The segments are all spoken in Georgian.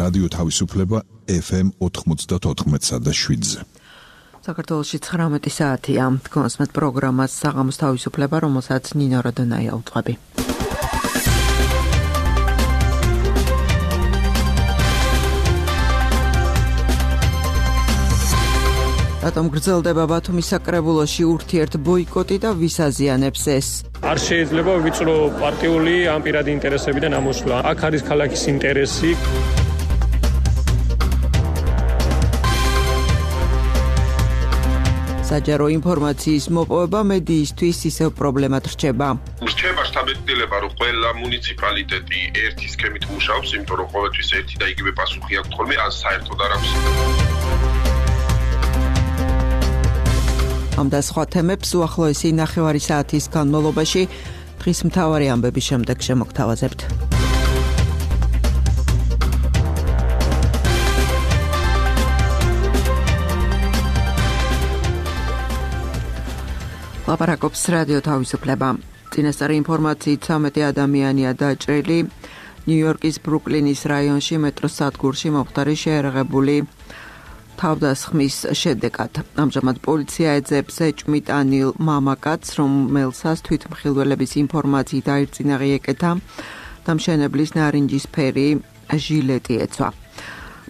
რადიო თავისუფლება FM 94.7-ზე. საქართველოში 19 საათია. კონსმეთ პროგრამას საღამოს თავისუფლება, რომელსაც ნინო როდონაია უწყები. რატომ გრძელდება ბათუმის საკრებულოში ურთიერთ ბოიკოტი და ვის აზიანებს ეს? არ შეიძლება ვიწრო პარტიული ან პირადი ინტერესებიდან ამოსვლა. აქ არის ქალაქის ინტერესი. საჯარო ინფორმაციის მოპოვება მედიისთვის ისევ პრობლემად რჩება. რჩება შთაბეჭდილება, რომ ყველა მუნიციპალიტეტი ერთი სქემით მუშაობს, იმიტომ რომ ყოველთვის ერთი და იგივე პასუხი აქვს ხოლმე, ან საერთოდ არ აქვს. ამ და სხვა თემებს უახლოესი 9 საათის განმავლობაში დღის მთავარი ამბების შემდეგ შემოგთავაზებთ. ლაპარაკობს რადიო თავისუფლება. წინასწარი ინფორმაციით 13 ადამიანია დაჭრილი ნიუ-იორკის ბრუკლინის რაიონში მეტროს სადგურში მომხდარი შეერაღებული თავდასხმის შედეგად. ამჟამად პოლიცია ეძებს ეჭვმიტანილ მამაკაცს, რომელსაც თვითმხილველების ინფორმაციით აირწინა ეკეთა და მშენებლის ნარინჯისფერი ჟილეტი ეცვა.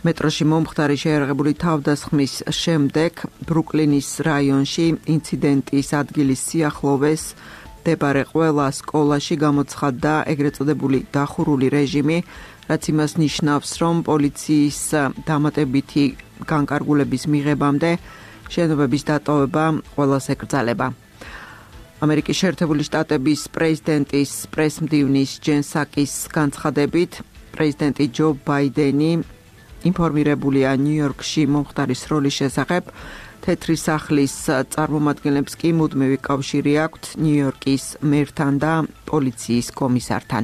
მეტროში მომხდარი შეერაღებული თავდასხმის შემდეგ ბრუკლინის რაიონში ინციდენტის ადგილის სიახლოვეს მდებარე ყველა სკოლაში გამოცხადდა ეგრეთ წოდებული დახურული რეჟიმი, რაც იმას ნიშნავს, რომ პოლიციის დამატებითი განკარგულების მიღებამდე შენობების დატოვება ყველას ეკრძალება. ამერიკის შეერთებული შტატების პრეზიდენტის პრესმდივნის ჯენ საკის განცხადებით, პრეზიდენტი ჯო ბაიდენი ინფორმირებულია ნიუ-იორკში მომხდარის როლის შესახებ, თეთრი სახლის წარმომადგენლებს კი მუდმივი კავშირი აქვთ ნიუ-იორკის მერთან და პოლიციის კომისართან.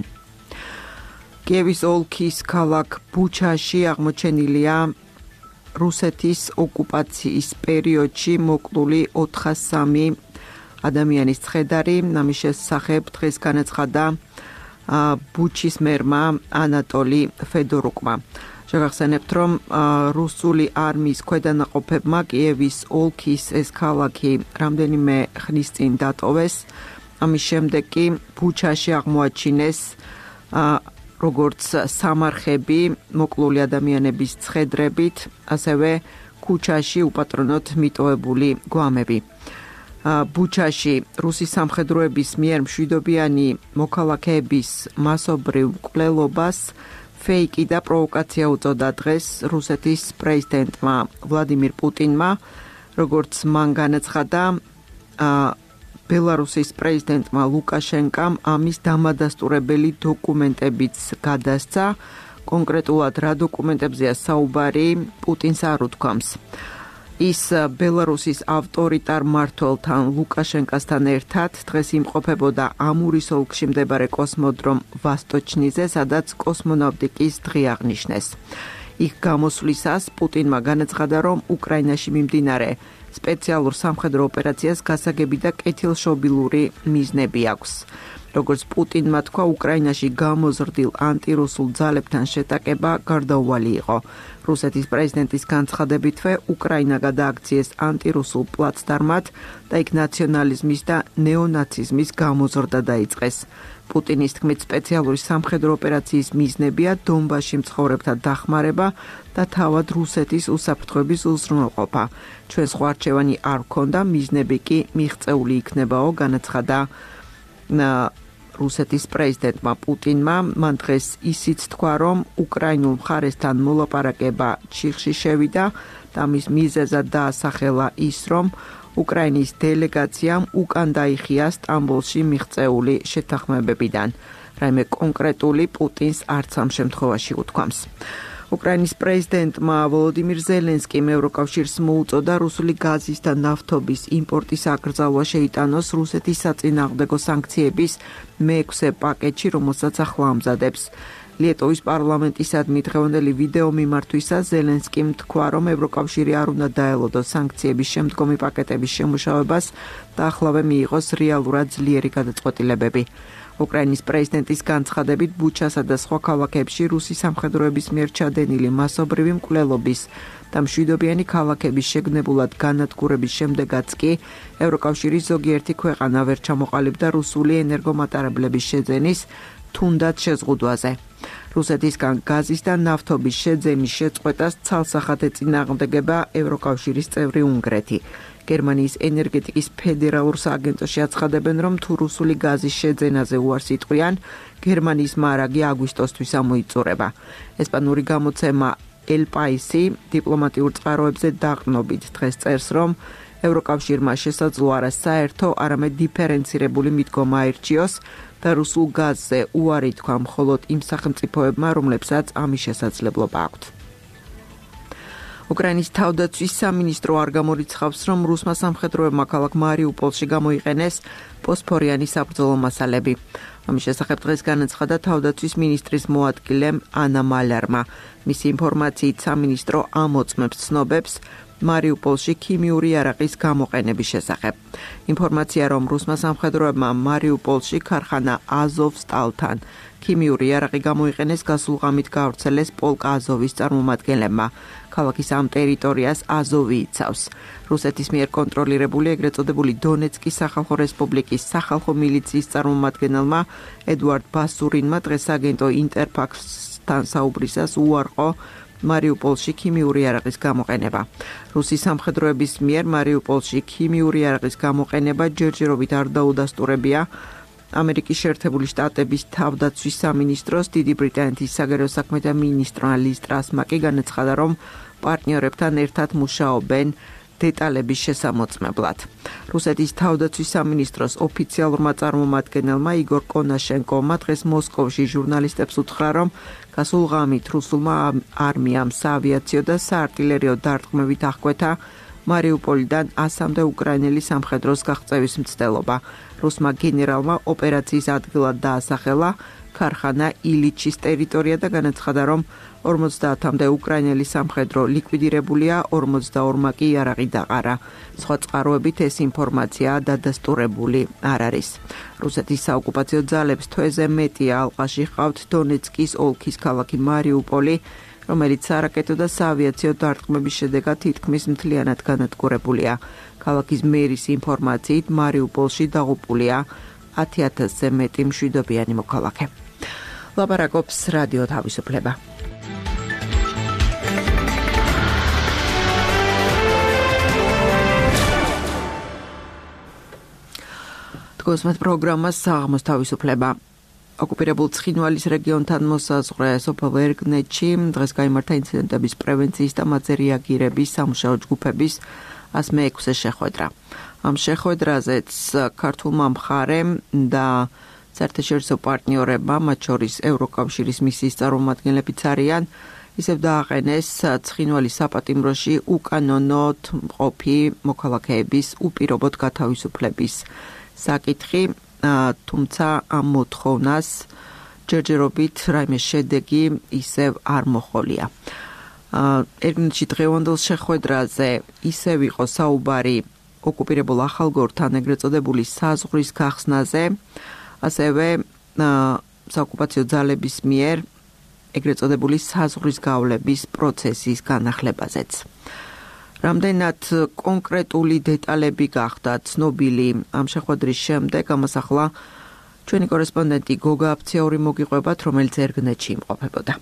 კიევის ოლქის ქალაქ ბუჩაში აღმოჩენილია რუსეთის ოკუპაციის პერიოდში მოკლული 403 ადამიანის ცხედარი. ამის შესახებ დღეს განაცხადა ბუჩის მერმა ანატოლი ფედორუკმა. შეგახსენებთ, რომ რუსული არმიის ქვედანაყოფებმა კიევის ოლქის ეს ქალაქი რამდენიმე ხნის წინ დატოვეს. ამის შემდეგ კი ბუჩაში აღმოაჩინეს როგორც სამარხები მოკლული ადამიანების ცხედრებით, ასევე ქუჩაში უპატრონოდ მიტოვებული გვამები. ბუჩაში რუსის სამხედროების მიერ მშვიდობიანი მოქალაქეების მასობრივ მკვლელობას ფეიკი და პროვოკაცია უწოდა დღეს რუსეთის პრეზიდენტმა ვლადიმირ პუტინმა, როგორც მან განაცხადა, ბელარუსის პრეზიდენტმა ლუკაშენკამ ამის დამადასტურებელი დოკუმენტებიც გადასცა. კონკრეტულად რა დოკუმენტებზეა საუბარი, პუტინს არ უთქვამს. ის ბელარუსის ავტორიტარ მმართველთან ლუკაშენკასთან ერთად დღეს იმყოფებოდა ამურის ოლქში მდებარე კოსმოდრომ ვასტოჩნიზე, სადაც კოსმონავტიკის დღე აღნიშნეს. იქ გამოსვლისას პუტინმა განაცხადა, რომ უკრაინაში მიმდინარე სპეციალურ სამხედრო ოპერაციას გასაგები და კეთილშობილური მიზნები აქვს. როგორც პუტინმა თქვა, უკრაინაში გამოზრდილ ანტირუსულ ძალებთან შეტაკება გარდაუვალი იყო. რუსეთის პრეზიდენტის განცხადებითვე უკრაინა გადააქციეს ანტირუსულ პლაცდარმად და იქ ნაციონალიზმის და ნეონაციზმის გამოზრდა დაიწყეს. პუტინის თქმით, სპეციალური სამხედრო ოპერაციის მიზნებია დონბასში მცხოვრებთა დახმარება და თავად რუსეთის უსაფრთხოების უზრუნველყოფა. ჩვენ სხვა არჩევანი არ გვქონდა, მიზნები კი მიღწეული იქნებაო, განაცხადა რუსეთის პრეზიდენტმა პუტინმა. მან დღეს ისიც თქვა, რომ უკრაინულ მხარესთან მოლაპარაკება ჩიხში შევიდა და მის მიზეზად დაასახელა ის, რომ უკრაინის დელეგაციამ უკან დაიხია სტამბოლში მიღწეული შეთანხმებებიდან. რაიმე კონკრეტული პუტინს არც ამ შემთხვევაში უთქვამს. უკრაინის პრეზიდენტმა ვოლოდიმირ ზელენსკიმ ევროკავშირს მოუწოდა რუსული გაზის და ნავთობის იმპორტის აკრძალვა შეიტანოს რუსეთის საწინააღმდეგო სანქციების მე-6 პაკეტში, რომელსაც ახლა ამზადებს. ლიეტოვის პარლამენტისადმი დღევანდელი ვიდეო მიმართვისას ზელენსკიმ თქვა, რომ ევროკავშირი არ უნდა დაელოდოს სანქციების შემდგომი პაკეტების შემუშავებას და ახლავე მიიღოს რეალურად ძლიერი გადაწყვეტილებები. უკრაინის პრეზიდენტის განცხადებით ბუჩასა და სხვა ქალაქებში რუსი სამხედროების მიერ ჩადენილი მასობრივი მკვლელობის და მშვიდობიანი ქალაქების შეგნებულად განადგურების შემდეგაც კი ევროკავშირის ზოგიერთი ქვეყანა ვერ ჩამოყალიბდა რუსული ენერგომატარებლების შეძენის თუნდაც შეზღუდვაზე. რუსეთისგან გაზის და ნავთობის შეძენის შეწყვეტას ცალსახად ეწინააღმდეგება ევროკავშირის წევრი უნგრეთი. გერმანიის ენერგეტიკის ფედერალურ სააგენტოში აცხადებენ, რომ თუ რუსული გაზის შეძენაზე უარს იტყვიან, გერმანიის მარაგი აგვისტოსთვის ამოიწურება. ესპანური გამოცემა El País-ი დიპლომატიურ წყაროებზე დაყრდნობით დღეს წერს, რომ ევროკავშირმა შესაძლო არა საერთო, არამედ დიფერენცირებული მიდგომა აირჩიოს და რუსულ გაზზე უარი თქვა მხოლოდ იმ სახელმწიფოებმა, რომლებსაც ამის შესაძლებლობა აქვთ. უკრაინის თავდაცვის სამინისტრო არ გამორიცხავს, რომ რუსმა სამხედროებმა ქალაქ მარიუპოლში გამოიყენეს ფოსფორიანი საბრძოლო მასალები. ამის შესახებ დღეს განაცხადა თავდაცვის მინისტრის მოადგილემ ანა მალარმა. მისი ინფორმაციით სამინისტრო ამოწმებს ცნობებს მარიუპოლში ქიმიური იარაღის გამოყენების შესახებ. ინფორმაცია, რომ რუსმა სამხედროებმა მარიუპოლში ქარხანა აზოვსტალთან ქიმიური იარაღი გამოიყენეს, გასულ ღამით გაავრცელეს პოლკ აზოვის წარმომადგენლებმა. ქალაქის ამ ტერიტორიას აზოვი იცავს. რუსეთის მიერ კონტროლირებული ეგრეთ წოდებული დონეცკის სახალხო რესპუბლიკის სახალხო მილიციის წარმომადგენელმა ედუარდ ბასურინმა დღეს აგენტო ინტერფაქსთან საუბრისას უარყო მარიუპოლში ქიმიური იარაღის გამოყენება. რუსის სამხედროების მიერ მარიუპოლში ქიმიური იარაღის გამოყენება ჯერჯერობით არ დაუდასტურებია ამერიკის შეერთებული შტატების თავდაცვის სამინისტროს დიდი ბრიტანეთის საგარეო საქმეთა მინისტრმა ლის ტრასმა კი განაცხადა, რომ პარტნიორებთან ერთად მუშაობენ დეტალების შესამოწმებლად. რუსეთის თავდაცვის სამინისტროს ოფიციალურმა წარმომადგენელმა იგორ კონაშენკოვმა დღეს მოსკოვში ჟურნალისტებს უთხრა, რომ გასულ ღამით რუსულმა არმიამ საავიაციო და საარტილერიო დარტყმებით აღკვეთა მარიუპოლიდან 100-მდე უკრაინელი სამხედროს გაღწევის მცდელობა. რუსმა გენერალმა ოპერაციის ადგილად დაასახელა ქარხანა ილიჩის ტერიტორია და განაცხადა, რომ 50-მდე უკრაინელი სამხედრო ლიკვიდირებულია, 42-მა კი იარაღი დაყარა. სხვა წყაროებით ეს ინფორმაცია დადასტურებული არ არის. რუსეთის საოკუპაციო ძალებს თვეზე მეტია ალყაში ჰყავთ დონეცკის ოლქის ქალაქი მარიუპოლი, რომელიც სარაკეტო და საავიაციო დარტყმების შედეგად თითქმის მთლიანად განადგურებულია. ქალაქის მერის ინფორმაციით მარიუპოლში დაღუპულია 10,000-ზე მეტი მშვიდობიანი მოქალაქე. ლაპარაკობს რადიო თავისუფლება. დგოსმეთ პროგრამას საღამოს თავისუფლება. ოკუპირებულ ცხინვალის რეგიონთან მოსაზღვრე სოფელ ერგნეთში დღეს გაიმართა ინციდენტების პრევენციის და მათზე რეაგირების სამუშაო ჯგუფების 106 შეხვედრა. ამ შეხვედრაზეც ქართულმა მხარემ და საერთაშორისო პარტნიორებმა, მათ შორის ევროკავშირის მისიის წარმომადგენლებიც არიან, ისევ დააყენეს ცხინვალის საპატიმროში უკანონოდ მყოფი მოქალაქეების უპირობოდ გათავისუფლების საკითხი, თუმცა ამ მოთხოვნას ჯერჯერობით რაიმე შედეგი ისევ არ მოჰყოლია. ერგნეთში დღევანდელ შეხვედრაზე ისევ იყო საუბარი ოკუპირებულ ახალგორთან ეგრეთ წოდებული საზღვრის გახსნაზე, ასევე საოკუპაციო ძალების მიერ ეგრეთ წოდებული საზღვრის გავლების პროცესის განახლებაზეც. რამდენად კონკრეტული დეტალები გახდა ცნობილი ამ შეხვედრის შემდეგ, ამას ახლა ჩვენი კორესპონდენტი გოგა აფციაური მოგიყვებათ, რომელიც ერგნეთში იმყოფებოდა.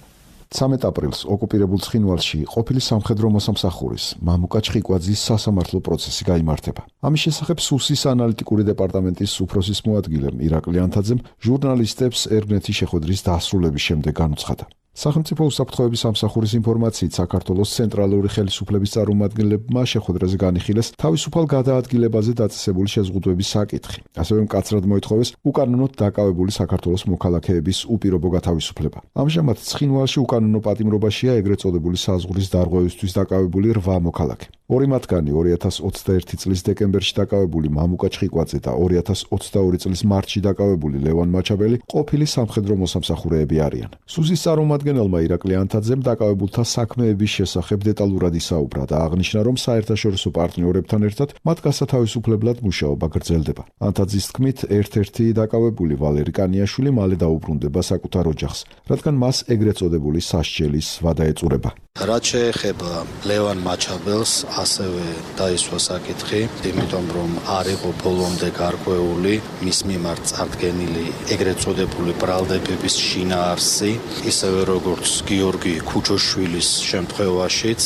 13 აპრილს ოკუპირებულ ცხინვალში ყოფილი სამხედრო მოსამსახურის მამუკა ჩხიკვაძის სასამართლო პროცესი გაიმართება. ამის შესახებ სუსის ანალიტიკური დეპარტამენტის უფროსის მოადგილემ ირაკლი ანთაძემ ჟურნალისტებს ერგნეთის შეხვედრის დასრულების შემდეგ განუცხადა. სახელმწიფო უსაფრთხოების სამსახურის ინფორმაციით, საქართველოს ცენტრალური ხელისუფლების წარმომადგენლებმა შეხვედრაზე განიხილეს თავისუფალ გადაადგილებაზე დაწესებული შეზღუდვების საკითხი. ასევე მკაცრად მოითხოვეს უკანონოდ დაკავებული საქართველოს მოქალაქეების უპირობო გათავისუფლება. ამჟამად ცხინვალში უკანონო პატიმრობაშია ეგრეთ წოდებული საზღვრის დარღვევისთვის დაკავებული 8 მოქალაქე. ორი მათგანი 2021 წლის დეკემბერში დაკავებული მამუკა ჩხიკვაძე და 2022 წლის მარტში დაკავებული ლევან მაჩაბელი ყოფილი სამხედრო მოსამსახურეები არიან. სუზის წარმომადგენელმა ირაკლი ანთაძემ დაკავებულთა საქმეების შესახებ დეტალურად ისაუბრა და აღნიშნა, რომ საერთაშორისო პარტნიორებთან ერთად მათ გასათავისუფლებლად მუშაობა გრძელდება. ანთაძის თქმით, ერთ-ერთი დაკავებული ვალერი კანიაშვილი მალე დაუბრუნდება საკუთარ ოჯახს, რადგან მას ეგრეთ წოდებული სასჯელის ვადა ეწურება. რაც შეეხება ლევან მაჩაბელს, ასევე დაისვა საკითხი, იმიტომ რომ არ იყო ბოლომდე გარკვეული მის მიმართ წარდგენილი ეგრეთ წოდებული ბრალდებების შინაარსი, ისევე როგორც გიორგი ქუჩოშვილის შემთხვევაშიც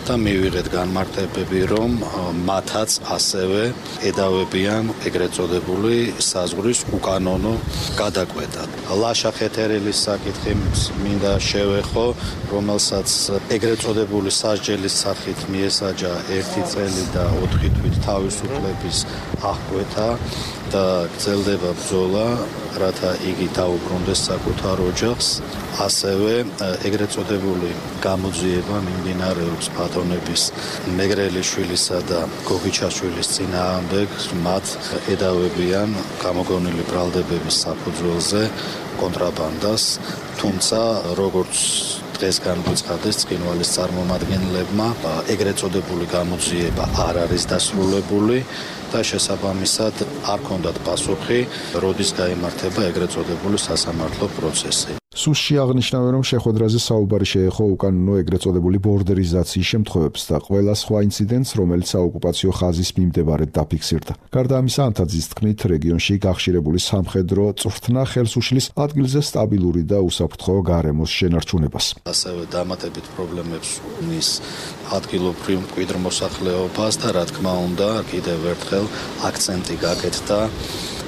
და მივიღეთ განმარტებები, რომ მათაც ასევე ედავებიან ეგრეთ წოდებული საზღვრის უკანონო გადაკვეთა. ლაშა ხეთერილის საკითხი მინდა შევეხო, რომელსაც ეგრეთ წოდებული სასჯელის სახით მიესაჯა 1 წელი და 4 თვით თავისუფლების აღკვეთა და გრძელდება ბრძოლა, რათა იგი დაუბრუნდეს საკუთარ ოჯახს. ასევე ეგრეთ წოდებული გამოძიება მიმდინარეობს ბატონების მეგრელიშვილისა და გოგიჩაშვილის წინააღმდეგ, მათ ედავებიან გამოგონილი ბრალდებების საფუძველზე კონტრაბანდას, თუმცა როგორც დღეს განგვიცხადეს ცხინვალის წარმომადგენლებმა, ეგრეთ წოდებული გამოძიება არ არის დასრულებული და შესაბამისად არ ქონდათ პასუხი, როდის გაიმართება ეგრეთ წოდებული სასამართლო პროცესი. სუსში აღნიშნავენ, რომ შეხვედრაზე საუბარი შეეხო უკანონო ეგრეთ წოდებული ბორდერიზაციის შემთხვევებს და ყველა სხვა ინციდენტს, რომელიც საოკუპაციო ხაზის მიმდებარედ დაფიქსირდა. გარდა ამისა, ანთაძის თქმით, რეგიონში გახშირებული სამხედრო წვრთნა ხელს უშლის ადგილზე სტაბილური და უსაფრთხო გარემოს შენარჩუნებას. ასევე დამატებით პრობლემებს უქმნის ადგილობრივ მკვიდრ მოსახლეობას და რა თქმა უნდა, კიდევ ერთხელ აქცენტი გაკეთდა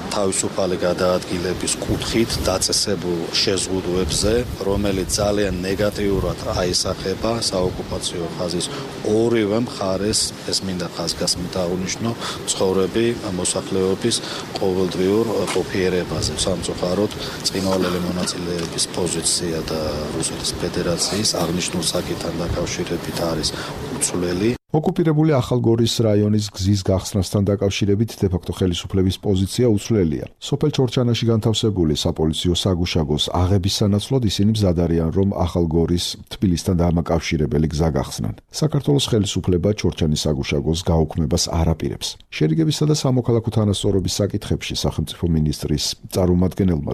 თავისუფალი გადაადგილების კუთხით დაწესებულ შეზღუდვებზე, რომელიც ძალიან ნეგატიურად აისახება საოკუპაციო ხაზის ორივე მხარეს, ეს მინდა ხაზგასმით აღნიშნო, ცხოვრები მოსახლეობის ყოველდღიურ ყოფიერებაზე. სამწუხაროდ, ცხინვალელი მონაწილეების პოზიცია და რუსეთის ფედერაციის აღნიშნულ საკითხთან დაკავშირებით არის უცვლელი. ოკუპირებული ახალგორის რაიონის გზის გახსნასთან დაკავშირებით დე-ფაქტო ხელისუფლების პოზიცია უცვლელია. სოფელ ჩორჩანაში განთავსებული საპოლიციო საგუშაგოს აღების სანაცვლოდ ისინი მზად არიან, რომ ახალგორის თბილისთან დამაკავშირებელი გზა გახსნან. საქართველოს ხელისუფლება ჩორჩანის საგუშაგოს გაუქმებას არ აპირებს. შერიგებისა და სამოქალაქო თანასწორობის საკითხებში სახელმწიფო მინისტრის წარმომადგენელმა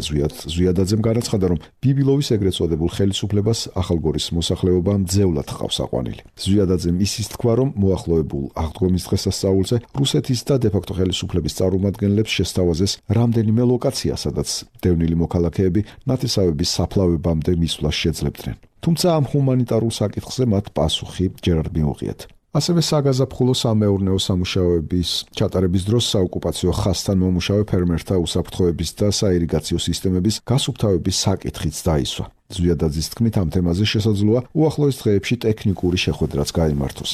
ზვიადაძემ განაცხადა, რომ ბიბილოვის ეგრეთ წოდებულ ხელისუფლებას ახალგორის მოსახლეობა მძევლად ჰყავს აყვანილი. ზვიადაძემ ისიც თქვა, რომ მოახლოებულ აღდგომის დღესასწაულზე რუსეთის და დე-ფაქტო ხელისუფლების წარმომადგენლებს შესთავაზეს რამდენიმე ლოკაცია, სადაც დევნილი მოქალაქეები ნათესავების საფლავებამდე მისვლას შეძლებდნენ. თუმცა ამ ჰუმანიტარულ საკითხზე მათ პასუხი ჯერ არ მიუღიათ. ასევე საგაზაფხულო სამეურნეო სამუშაოების ჩატარების დროს საოკუპაციო ხაზთან მომუშავე ფერმერთა უსაფრთხოების და საირიგაციო სისტემების გასუფთავების საკითხიც დაისვა. ზვიადაძის თქმით, ამ თემაზე შესაძლოა უახლოეს დღეებში ტექნიკური შეხვედრაც გაიმართოს.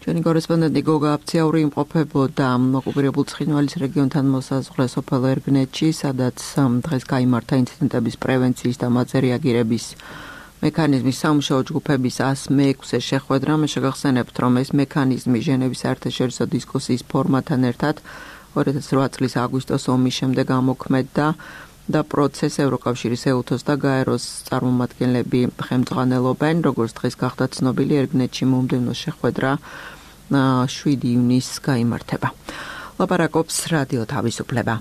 ჩვენი კორესპონდენტი გოგა აფციაური იმყოფებოდა ოკუპირებულ ცხინვალის რეგიონთან მოსაზღვრე სოფელ ერგნეთში, სადაც დღეს გაიმართა ინციდენტების პრევენციის და მათზე რეაგირების მექანიზმის სამუშაო ჯგუფების 106-ე შეხვედრა. მე შეგახსენებთ, რომ ეს მექანიზმი ჟენევის საერთაშორისო დისკუსიის ფორმატთან ერთად 2008 წლის აგვისტოს ომის შემდეგ ამოქმედდა და პროცესს ევროკავშირის ეუთოს და გაეროს წარმომადგენლები ხელმძღვანელობენ. როგორც დღეს გახდა ცნობილი, ერგნეთში მომდევნო შეხვედრა 7 ივნისს გაიმართება. ლაპარაკობს რადიო თავისუფლება.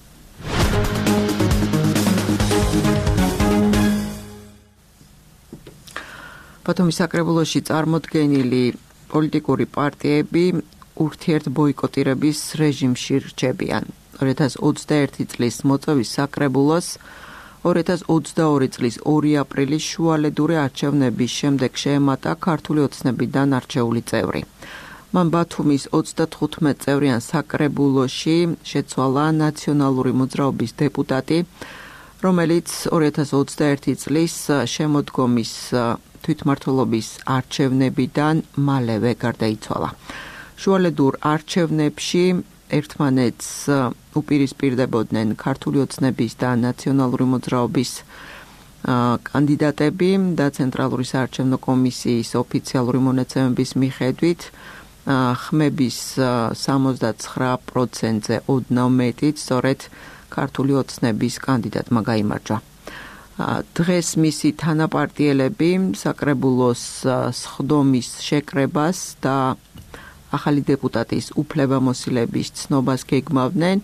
ბათუმის საკრებულოში წარმოდგენილი პოლიტიკური პარტიები ურთიერთ ბოიკოტირების რეჟიმში რჩებიან. 2021 წლის მოწვევის საკრებულოს 2022 წლის 2 აპრილის შუალედური არჩევნების შემდეგ შეემატა ქართული ოცნებიდან არჩეული წევრი. მან ბათუმის 35 წევრიან საკრებულოში შეცვალა ნაციონალური მოძრაობის დეპუტატი რომელიც 2021 წლის შემოდგომის თვითმმართველობის არჩევნებიდან მალევე გარდაიცვალა. შუალედურ არჩევნებში ერთმანეთს უპირისპირდებოდნენ ქართული ოცნების და ნაციონალური მოძრაობის კანდიდატები და ცენტრალური საარჩევნო კომისიის ოფიციალური მონაცემების მიხედვით ხმების 79%-ზე ოდნავ მეტით სწორედ ქართული ოცნების კანდიდატმა გაიმარჯვა. დღეს მისი თანაპარტიელები საკრებულოს სხდომის შეკრებას და ახალი დეპუტატის უფლებამოსილების ცნობას გეგმავდნენ.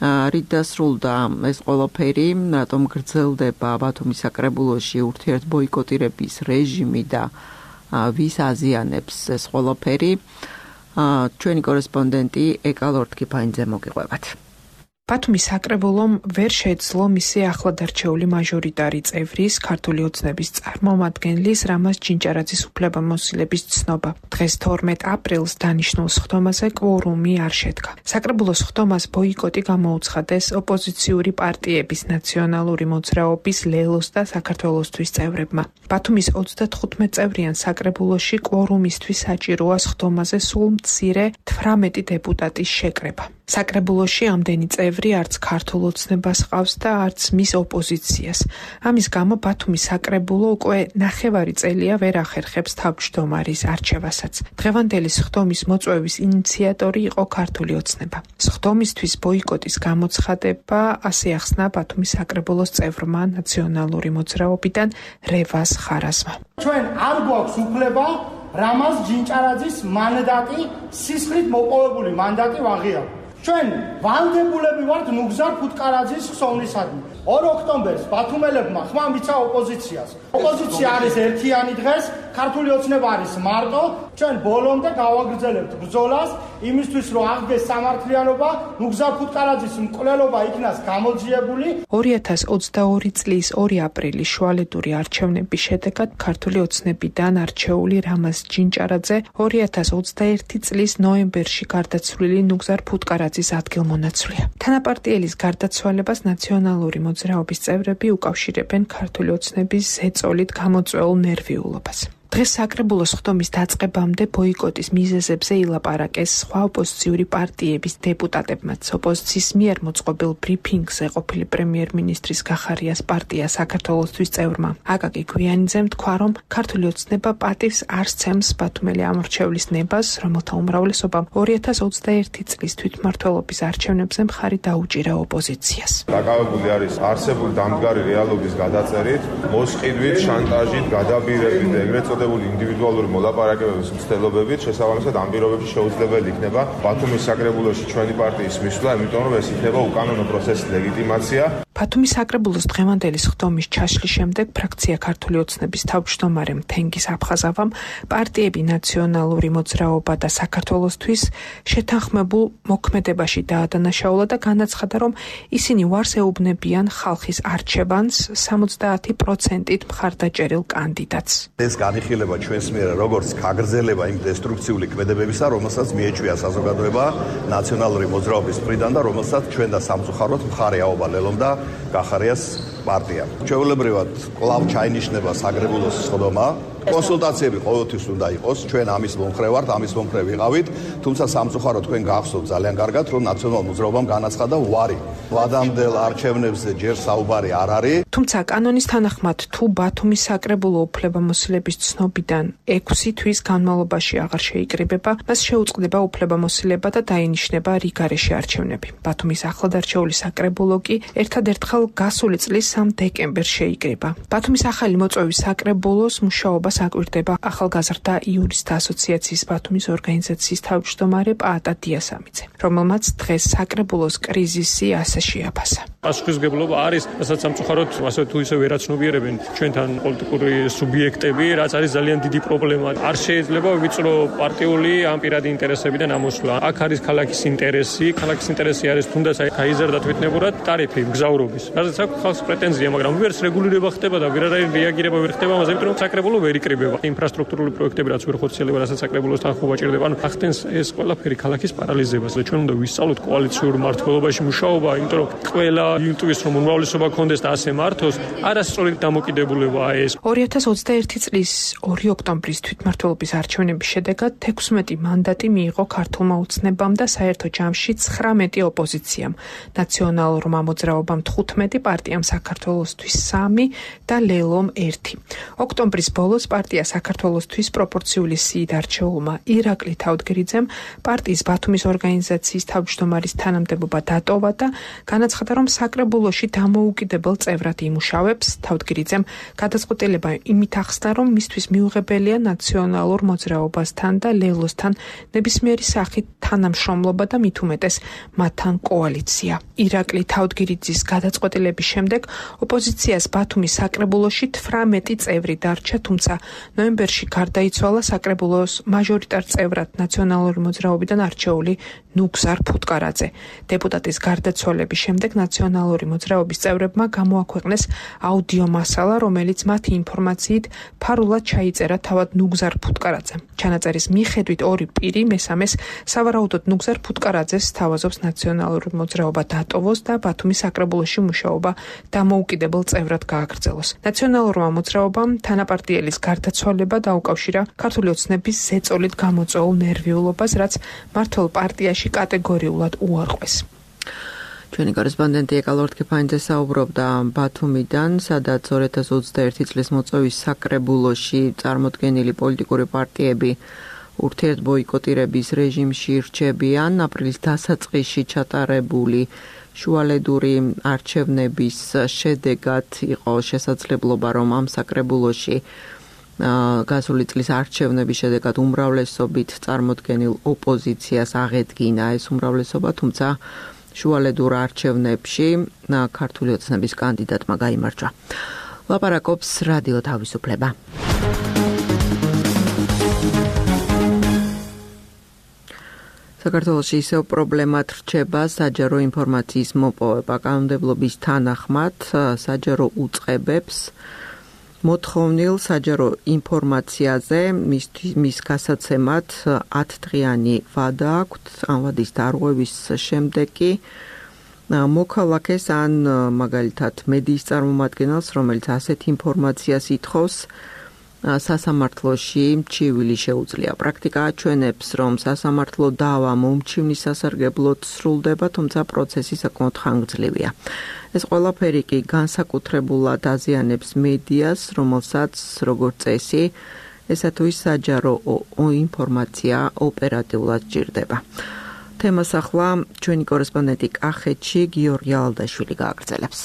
რით დასრულდა ეს ყველაფერი, რატომ გრძელდება ბათუმის საკრებულოში ურთიერთბოიკოტირების რეჟიმი და ვის აზიანებს ეს ყველაფერი, ჩვენი კორესპონდენტი ეკალორთქიფაინძე მოგიყვებათ. ბათუმის საკრებულომ ვერ შეძლო მისი ახლადარჩეული მაჟორიტარი წევრის ქართული ოცნების წარმომადგენლის რამაზ ჯინჭარაძის უფლებამოსილების ცნობა. დღეს 12 აპრილს დანიშნულ სხდომაზე კვორუმი არ შედგა. საკრებულოს სხდომას ბოიკოტი გამოუცხადეს ოპოზიციური პარტიების ნაციონალური მოძრაობის ლელოს და საქართველოსთვის წევრებმა. ბათუმის 35 წევრიან საკრებულოში კვორუმისთვის საჭიროა სხდომაზე სულ მცირე 18 დეპუტატის შეკრება. საკრებულოში ამდენი წევრი არც ქართულ ოცნებას ყავს და არც მის ოპოზიციას. ამის გამო ბათუმის საკრებულო უკვე 9 წელია ვერ ახერხებს თავმჯდომარის არჩევასაც. დღევანდელი სხდომის მოწვევის ინიციატორი იყო ქართული ოცნება. სხდომისთვის ბოიკოტის გამოცხადება ასე ახსნა ბათუმის საკრებულოს წევრმა ნაციონალური მოძრაობიდან რევაზ ხარაზმა. ჩვენ არ გვაქვს უფლება რამაზ ჯინჭარაძის მანდატი, სისხლით მოპოვებული მანდატი ვაღიაროთ. ჩვენ ვალდებულები ვართ ნუგზარ ფუტკარაძის ხსოვნისადმი. 2 ოქტომბერს ბათუმელებმა ხმა მიცა ოპოზიციას. ოპოზიცია არის ერთიანი დღეს, ქართული ოცნება არის მარტო. ჩვენ ბოლომდე გავაგრძელებთ ბრძოლას იმისთვის, რომ აღდგეს სამართლიანობა, ნუგზარ ფუტკარაძის მკვლელობა იქნას გამოძიებული. 2022 წლის 2 აპრილის შუალედური არჩევნების შედეგად ქართული ოცნებიდან არჩეული რამაზ ჯინჭარაძე 2021 წლის ნოემბერში გარდაცვლილი ნუგზარ ფუტკარაძის ადგილმონაცვლია. თანაპარტიელის გარდაცვალებას ნაციონალური მოძრაობის წევრები უკავშირებენ ქართული ოცნების ზეწოლით გამოწვეულ ნერვიულობას. დღეს საკრებულოს სხდომის დაწყებამდე ბოიკოტის მიზეზებზე ილაპარაკეს სხვა ოპოზიციური პარტიების დეპუტატებმაც. ოპოზიციის მიერ მოწყობილ ბრიფინგზე ყოფილი პრემიერ-მინისტრის გახარიას პარტია საქართველოსთვის წევრმა აკაკი გვიანიძემ თქვა, რომ ქართული ოცნება პატივს არ სცემს ბათუმელი ამორჩევლის ნებას, რომელთა უმრავლესობამ 2021 წლის თვითმმართველობის არჩევნებზე მხარი დაუჭირა ოპოზიციას. დაკავებული არის არსებული დამდგარი რეალობის გადაწერით, მოსყიდვით, შანტაჟით, გადაბირებით და ეგრეთ წოდებული ინდივიდუალური მოლაპარაკებების მცდელობებით, შესაბამისად ამ პირობებში შეუძლებელი იქნება ბათუმის საკრებულოში ჩვენი პარტიის მისვლა, იმიტომ რომ ეს იქნება უკანონო პროცესის ლეგიტიმაცია. ბათუმის საკრებულოს დღევანდელი სხდომის ჩაშლის შემდეგ ფრაქცია ქართული ოცნების თავმჯდომარემ თენგიზ აფხაზავამ პარტიები ნაციონალური მოძრაობა და საქართველოსთვის შეთანხმებულ მოქმედებაში დაადანაშაულა და განაცხადა, რომ ისინი უარს ეუბნებიან ხალხის არჩევანს 70%-ით მხარდაჭერილ კანდიდატს. ეს განიხილება ჩვენს მიერ როგორც გაგრძელება იმ დესტრუქციული ქმედებებისა, რომელსაც მიეჩვია საზოგადოება ნაციონალური მოძრაობის მხრიდან და რომელსაც ჩვენ და სამწუხაროდ მხარე აობა ლელომ და გახარიას პარტია. ჩვეულებრივად კვლავ ჩაინიშნება საკრებულოს სხდომა. კონსულტაციები ყოველთვის უნდა იყოს, ჩვენ ამის მომხრე ვართ, ამის მომხრე ვიყავით, თუმცა სამწუხაროდ თქვენ გახსოვთ ძალიან კარგად, რომ ნაციონალურ მოძრაობამ განაცხადა უარი. ვადამდელ არჩევნებზე ჯერ საუბარი არ არის. თუმცა კანონის თანახმად, თუ ბათუმის საკრებულო უფლებამოსილების ცნობიდან 6 თვის განმავლობაში აღარ შეიკრიბება, მას შეუწყდება უფლებამოსილება და დაინიშნება რიგარეში არჩევნები. ბათუმის ახლადარჩეული საკრებულო კი ერთადერთხელ გასული წლის 3 დეკემბერს შეიკრიბა. ბათუმის ახალი მოწვევის საკრებულოს მუშაობა აკვირდება ახალგაზრდა იურისტთა ასოციაციის ბათუმის ორგანიზაციის თავმჯდომარე პაატა დიასამიძე, რომელმაც დღეს საკრებულოს კრიზისი ასე შეაფასა. პასუხისმგებლობა არის, რასაც სამწუხაროდ ასე თუ ისე ვერ აცნობიერებენ ჩვენთან პოლიტიკური სუბიექტები, რაც არის ძალიან დიდი პრობლემა. არ შეიძლება ვიწრო პარტიული ან პირადი ინტერესებიდან ამოსვლა. აქ არის ქალაქის ინტერესი, ქალაქის ინტერესი არის თუნდაც გაიზარდა თვითნებურად ტარიფი მგზავრობის. რასაც აქვს ხალხს პრეტენზია, მაგრამ ვერც რეგულირება ხდება და ვერავინ რეაგირება ვერ ხდება ამაზე, იმიტომ რომ საკრებულო ვერ იკრიბება. ინფრასტრუქტურული პროექტები რაც ვერ ხორციელდება, რასაც საკრებულოს თანხმობა ჭირდება, ანუ ახდენს ეს ყველაფერი ქალაქის პარალიზებას და ჩვენ უნდა ვისწავლოთ კოალიციურ მმართველობაში მუშაობა, იმიტომ რომ ყველა იმტკივის რომ უმრავლესობა ქონდეს და ასე მართოს, არასწორი დამოკიდებულებაა ეს. 2021 წლის 2 ოქტომბრის თვითმმართველობის არჩევნების შედეგად 16 მანდატი მიიღო ქართულმა ოცნებამ და საერთო ჯამში 19 ოპოზიციამ, ნაციონალურმა მოძრაობამ 15, პარტიამ საქართველოსთვის 3 და ლელომ 1. ოქტომბრის ბოლოს პარტია საქართველოსთვის პროპორციული სიით არჩეულმა ირაკლი თავდგირიძემ პარტიის ბათუმის ორგანიზაციის თავმჯდომარის თანამდებობა დატოვა და განაცხადა, რომ საკრებულოში დამოუკიდებელ წევრად იმუშავებს. თავდგირიძემ გადაწყვეტილება იმით ახსნა, რომ მისთვის მიუღებელია ნაციონალურ მოძრაობასთან და ლელოსთან ნებისმიერი სახით თანამშრომლობა და მით უმეტეს მათთან კოალიცია. ირაკლი თავდგირიძის გადაწყვეტილების შემდეგ ოპოზიციას ბათუმის საკრებულოში 18 წევრი დარჩა, თუმცა ნოემბერში გარდაიცვალა საკრებულოს მაჟორიტარ წევრად ნაციონალური მოძრაობიდან არჩეული ნუგზარ ფუტკარაძე. დეპუტატის გარდაცვალების შემდეგ ნაციონალური მოძრაობის წევრებმა გამოაქვეყნეს აუდიო მასალა, რომელიც მათი ინფორმაციით ფარულად ჩაიწერა თავად ნუგზარ ფუტკარაძემ. ჩანაწერის მიხედვით ორი პირი მესამეს სავარაუდოდ ნუგზარ ფუტკარაძეს სთავაზობს ნაციონალური მოძრაობა დატოვოს და ბათუმის საკრებულოში მუშაობა დამოუკიდებელ წევრად გააგრძელოს. ნაციონალურმა მოძრაობამ თანაპარტიელის გარდაცვალება დაუკავშირა ქართული ოცნების ზეწოლით გამოწვეულ ნერვიულობას, რაც მმართველ პარტიაში კატეგორიულად უარყვეს. ჩვენი კორესპონდენტი ეკალორდ კიფაინძე საუბრობდა ბათუმიდან, სადაც 2021 წლის მოწვევის საკრებულოში წარმოდგენილი პოლიტიკური პარტიები ურთიერთბოიკოტირების რეჟიმში რჩებიან. აპრილის დასაწყისში ჩატარებული შუალედური არჩევნების შედეგად იყო შესაძლებლობა, რომ ამ საკრებულოში გასული წლის არჩევნების შედეგად უმრავლესობით წარმოდგენილ ოპოზიციას აღედგინა ეს უმრავლესობა, თუმცა შუალედურ არჩევნებში ქართული ოცნების კანდიდატმა გაიმარჯვა. ლაპარაკობს რადიო თავისუფლება. საქართველოში ისევ პრობლემად რჩება საჯარო ინფორმაციის მოპოვება. კანონმდებლობის თანახმად საჯარო უწყებებს მოთხოვნილ საჯარო ინფორმაციაზე მის გასაცემად 10 დღიანი ვადა აქვთ. ამ ვადის დარღვევის შემდეგ კი მოქალაქეს ან მაგალითად მედიის წარმომადგენელს, რომელიც ასეთ ინფორმაციას ითხოვს, სასამართლოში მჩივილი შეუძლია. პრაქტიკა აჩვენებს, რომ სასამართლო დავა მომჩივნის სასარგებლოდ სრულდება, თუმცა პროცესი საკმაოდ ხანგრძლივია. ეს ყველაფერი კი განსაკუთრებულად აზიანებს მედიას, რომელსაც როგორც წესი, ესა თუ ის საჯარო ინფორმაცია ოპერატიულად სჭირდება. თემას ახლა ჩვენი კორესპონდენტი კახეთში გიორგი ალდაშვილი გააგრძელებს.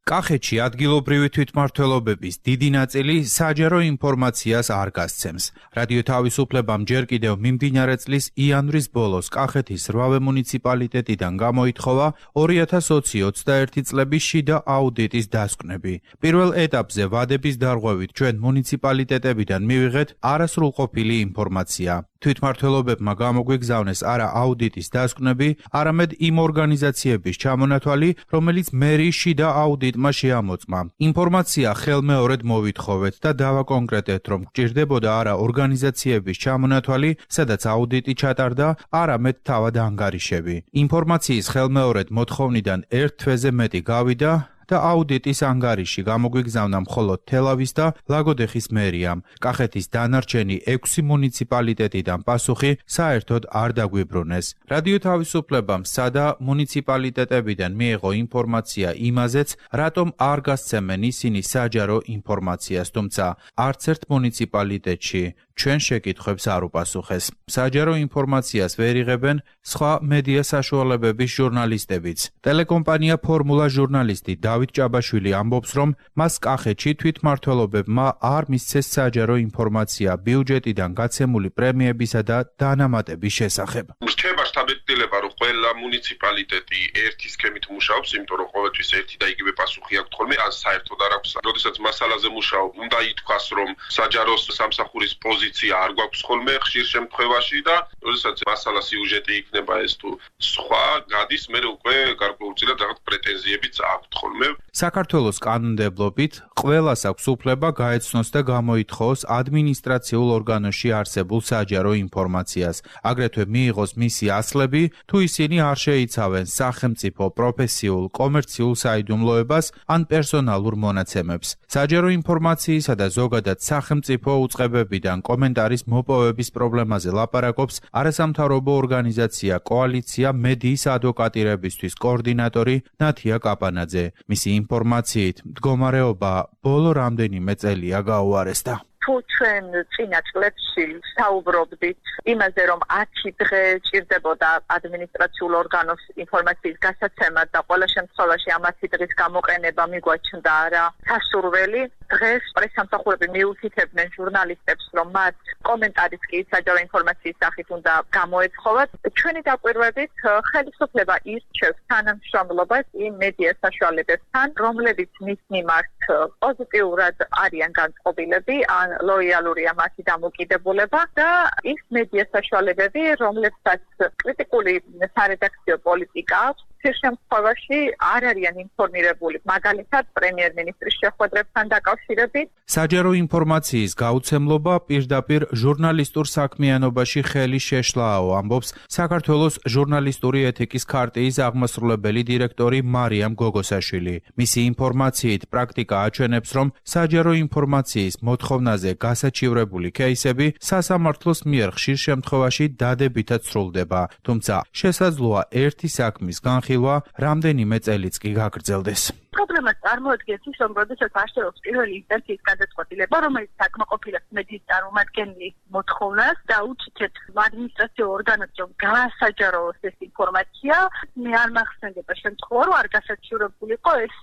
კახეთში ადგილობრივი თვითმმართველობების დიდი ნაწილი საჯარო ინფორმაციას არ გასცემს. რადიო თავისუფლებამ ჯერ კიდევ მიმდინარე წლის იანვრის ბოლოს კახეთის 8 მუნიციპალიტეტიდან გამოითხოვა 2021 წლების შიდა აუდიტის დასკვნები. პირველ ეტაპზე ვადების დარღვევით ჩვენ მუნიციპალიტეტებიდან მივიღეთ არასრულყოფილი ინფორმაცია. თვითმმართველობებმა გამოგვიგზავნეს არა აუდიტის დასკვნები, არამედ იმ ორგანიზაციების ჩამონათვალი, რომელიც მერიის შიდა აუდიტმა შეამოწმა. ინფორმაცია ხელმეორედ მოვითხოვეთ და დავაკონკრეტეთ, რომ გჭირდებოდა არა ორგანიზაციების ჩამონათვალი, სადაც აუდიტი ჩატარდა, არამედ თავად ანგარიშები. ინფორმაციის ხელმეორედ მოთხოვნიდან ერთ თვეზე მეტი გავიდა და აუდიტის ანგარიში გამოგვიგზავნა მხოლოდ თელავის და ლაგოდეხის მერიამ. კახეთის დანარჩენი 6 მუნიციპალიტეტიდან პასუხი საერთოდ არ დაგვიბრუნეს. რადიო თავისუფლებამ სადა მუნიციპალიტეტებიდან მიიღო ინფორმაცია იმაზეც, რატომ არ გასცემენ ისინი საჯარო ინფორმაციას, თუმცა არც ერთ მუნიციპალიტეტში ჩვენ შეკითხვებს არ უპასუხეს. საჯარო ინფორმაციას ვერ იღებენ სხვა მედია საშუალებების ჟურნალისტებიც. ტელეკომპანია ფორმულა ჟურნალისტი დავით ჭაბაშვილი ამბობს, რომ მას კახეთში თვითმმართველობებმა არ მისცეს საჯარო ინფორმაცია ბიუჯეტიდან გაცემული პრემიებისა და დანამატების შესახებ. რჩება შთაბეჭდილება, რომ ყველა მუნიციპალიტეტი ერთი სქემით მუშაობს, იმიტომ რომ ყოველთვის ერთი და იგივე პასუხი აქვს ხოლმე, ან საერთოდ არ აქვს. როდესაც მასალაზე მუშაობ, უნდა ითქვას, რომ საჯარო სამსახურის პოზიცია არ გვაქვს ხოლმე ხშირ შემთხვევაში და როდესაც მასალა სიუჟეტი იქნება ეს თუ სხვა გადის მე უკვე გარკვეულწილად რაღაც პრეტენზიებიც აქვთ ხოლმე. საქართველოს კანონმდებლობით ყველას აქვს უფლება გაეცნოს და გამოითხოვოს ადმინისტრაციულ ორგანოში არსებულ საჯარო ინფორმაციას, აგრეთვე მიიღოს მისი ასლები, თუ ისინი არ შეიცავენ სახელმწიფო, პროფესიულ, კომერციულ საიდუმლოებას ან პერსონალურ მონაცემებს. საჯარო ინფორმაციისა და ზოგადად სახელმწიფო უწყებებიდან კომენტარის მოპოვების პრობლემაზე ლაპარაკობს არასამთავრობო ორგანიზაცია კოალიცია მედიის ადვოკატირებისთვის კოორდინატორი ნათია კაპანაძე. მისი ინფორმაციით მდგომარეობა ბოლო რამდენიმე წელია გაუარესდა. თუ ჩვენ წინა წლებში საუბრობდით იმაზე, რომ 10 დღე ჭირდებოდა ადმინისტრაციულ ორგანოს ინფორმაციის გასაცემად და ყველა შემთხვევაში ამ 10 დღის გამოყენება მიგვაჩნდა რა სასურველი, დღეს პრესამსახურები მიუთითებდნენ ჟურნალისტებს, რომ მათ კომენტარის კი საჯარო ინფორმაციის სახით უნდა გამოეცხოვათ. ჩვენი დაკვირვებით ხელისუფლება ირჩევს თანამშრომლობას იმ მედია საშუალებებთან, რომლებიც მის მიმართ პოზიტიურად არიან განწყობილები ან ლოიალურია მათი დამოკიდებულება და ის მედია საშუალებები, რომლებსაც კრიტიკული სარედაქციო პოლიტიკა აქვს, ხშირ შემთხვევაში არ არიან ინფორმირებული, მაგალითად პრემიერ-მინისტრის შეხვედრებთან დაკავშირებით. საჯარო ინფორმაციის გაუცემლობა პირდაპირ ჟურნალისტურ საქმიანობაში ხელი შეშლააო, ამბობს საქართველოს ჟურნალისტური ეთიკის ქარტიის აღმასრულებელი დირექტორი მარიამ გოგოსაშვილი. მისი ინფორმაციით პრაქტიკა აჩვენებს, რომ საჯარო ინფორმაციის მოთხოვნაზე გასაჩივრებული кейსები სასამართლოს მიერ ხშირ შემთხვევაში დადებითად სრულდება, თუმცა შესაძლოა ერთი საქმის განხილვა რამდენიმე წელიც კი გაგრძელდეს. პრობლემას წარმოადგენს ის, რომ როდესაც არსებობს პირველი ინსტანციის გადაწყვეტილება, რომელიც საკმაყოფილებს მედიის წარმომადგენლის მოთხოვნას და უჩითებს ადმინისტრაციულ ორგანოებს, რომ გაასაჯაროოს ეს ინფორმაცია, მე არ მახსენდება შემთხვევა, რომ არ გასაჩივრებულიყო ეს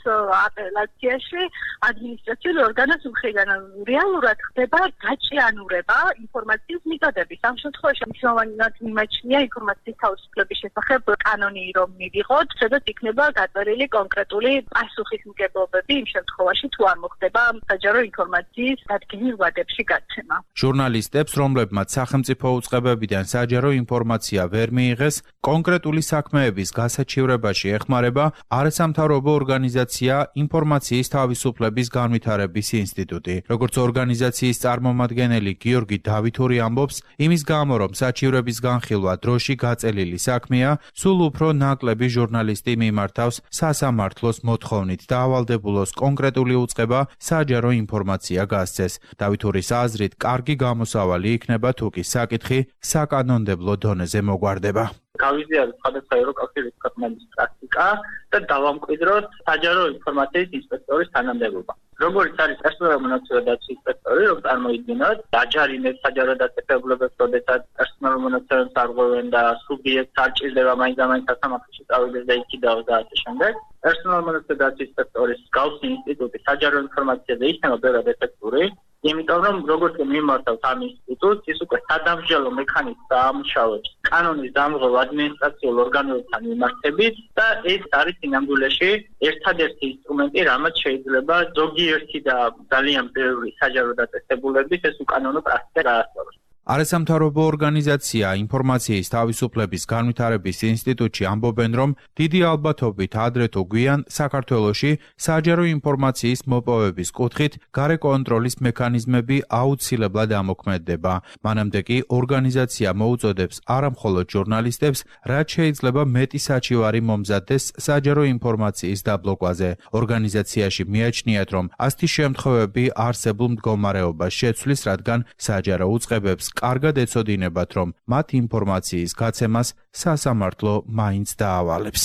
აპელაციაში ადმინისტრაციული ორგანოს მხრიდან. რეალურად ხდება გაჭიანურება ინფორმაციის მიწოდების. ამ შემთხვევაში მნიშვნელოვნად მიმაჩნია ინფორმაციის თავისუფლების შესახებ კანონი, რომ მივიღოთ, სადაც იქნება გაწერილი კონკრეტული პასუხისმგებლობები იმ შემთხვევაში, თუ არ მოხდება საჯარო ინფორმაციის დადგენილ ვადებში გაცემა. ჟურნალისტებს, რომლებმაც სახელმწიფო უწყებებიდან საჯარო ინფორმაცია ვერ მიიღეს, კონკრეტული საქმეების გასაჩივრებაში ეხმარება არასამთავრობო ორგანიზაცია ინფორმაციის თავისუფლების განვითარების ინსტიტუტი. როგორც ორგანიზაციის წარმომადგენელი გიორგი დავითური ამბობს, იმის გამო, რომ საჩივრების განხილვა დროში გაწელილი საქმეა, სულ უფრო ნაკლები ჟურნალისტი მიმართავს სასამართლოს მოთხოვნით დაავალდებულოს კონკრეტული უწყება საჯარო ინფორმაცია გასცეს. დავითურის აზრით, კარგი გამოსავალი იქნება თუ კი საკითხი საკანონმდებლო დონეზე მოგვარდება. გავიზიაროთ სხვადასხვა ევროკავშირის ქვეყნების პრაქტიკა და დავამკვიდროთ საჯარო ინფორმაციის ინსპექტორის თანამდებობა. როგორც არის პერსონალურ მონაცემთა დაცვის ინსპექტორი, რომ წარმოიდგინოთ, დაჯარიმებს საჯარო დაწესებულებებს, როდესაც პერსონალურ მონაცემებს არღვევენ და სუბიექტს არ ჭირდება მაინც-ამაინც სასამართლოში წავიდეს და იქიდაოს და ასე შემდეგ. პერსონალურ მონაცემთა დაცვის ინსპექტორის მსგავსი ინსტიტუტი საჯარო ინფორმაციაზე იქნება ბევრად ეფექტური. იმიტომ რომ როგორც მიმართავთ ამ ინსტიტუტს, ის უკვე სადამსჯელო მექანიზმს დაამუშავებს კანონის დამღებ ადმინისტრაციულ ორგანოებთან მიმართებით და ეს არის სინამდვილეში ერთადერთი ინსტრუმენტი, რამაც შეიძლება ზოგიერთი და ძალიან ბევრი საჯარო დაწესებულების ეს უკანონო პრაქტიკა გაასწოროს. არასამთავრობო ორგანიზაცია ინფორმაციის თავისუფლების განვითარების ინსტიტუტში ამბობენ, რომ დიდი ალბათობით ადრე თუ გვიან საქართველოში საჯარო ინფორმაციის მოპოვების კუთხით გარე კონტროლის მექანიზმები აუცილებლად ამოქმედდება. მანამდე კი ორგანიზაცია მოუწოდებს არამხოლოდ ჟურნალისტებს, რაც შეიძლება მეტი საჩივარი მომზადდეს საჯარო ინფორმაციის დაბლოკვაზე. ორგანიზაციაში მიაჩნიათ, რომ ასეთი შემთხვევები არსებულ მდგომარეობას შეცვლის, რადგან საჯარო უწყებებს კარგად ეცოდინებათ, რომ მათ ინფორმაციის გაცემას სასამართლო მაინც დაავალებს.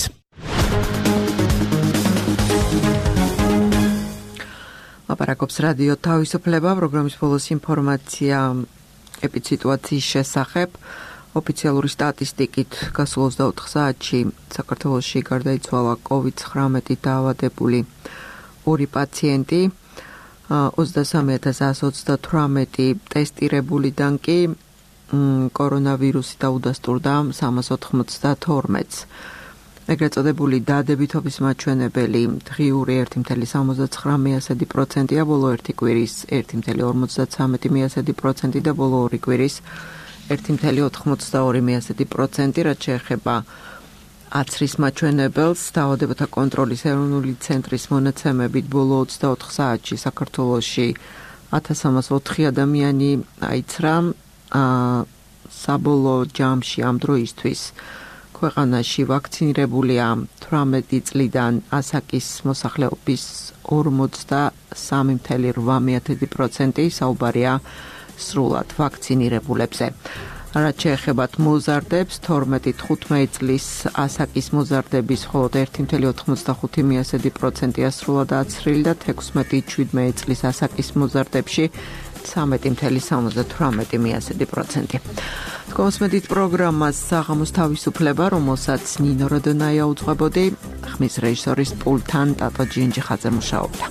ლაპარაკობს რადიო თავისუფლება, პროგრამის ბოლოს ინფორმაცია ეპიდსიტუაციის შესახებ. ოფიციალური სტატისტიკით გასულ 24 საათში საქართველოში გარდაიცვალა COVID-19 დაავადებული 2 პაციენტი. 23,128 ტესტირებულიდან კი კორონავირუსი დაუდასტურდა 392-ს. ეგრეთ წოდებული დადებითობის მაჩვენებელი დღიური 1.79%-ია, ბოლო ერთი კვირის 1.53% და ბოლო ორი კვირის 1.82%, რაც შეეხება აცრის მაჩვენებელს. დაავადებათა კონტროლის ეროვნული ცენტრის მონაცემებით ბოლო 24 საათში საქართველოში 1304 ადამიანი აიცრა. საბოლოო ჯამში ამ დროისთვის ქვეყანაში ვაქცინირებულია 18 წლიდან ასაკის მოსახლეობის 43.8%, საუბარია სრულად ვაქცინირებულებზე. რაც შეეხება მოზარდებს, 12-15 წლის ასაკის მოზარდების მხოლოდ 1.85%-ია სრულად აცრილი და 16-17 წლის ასაკის მოზარდებში 13.78%. კონსმედით პროგრამას საღამოს თავისუფლება, რომელსაც ნინო როდონაია უძღვებოდი, ხმის რეჟისორის პულტთან ტატო ჯინჯიხაძე მუშაობდა.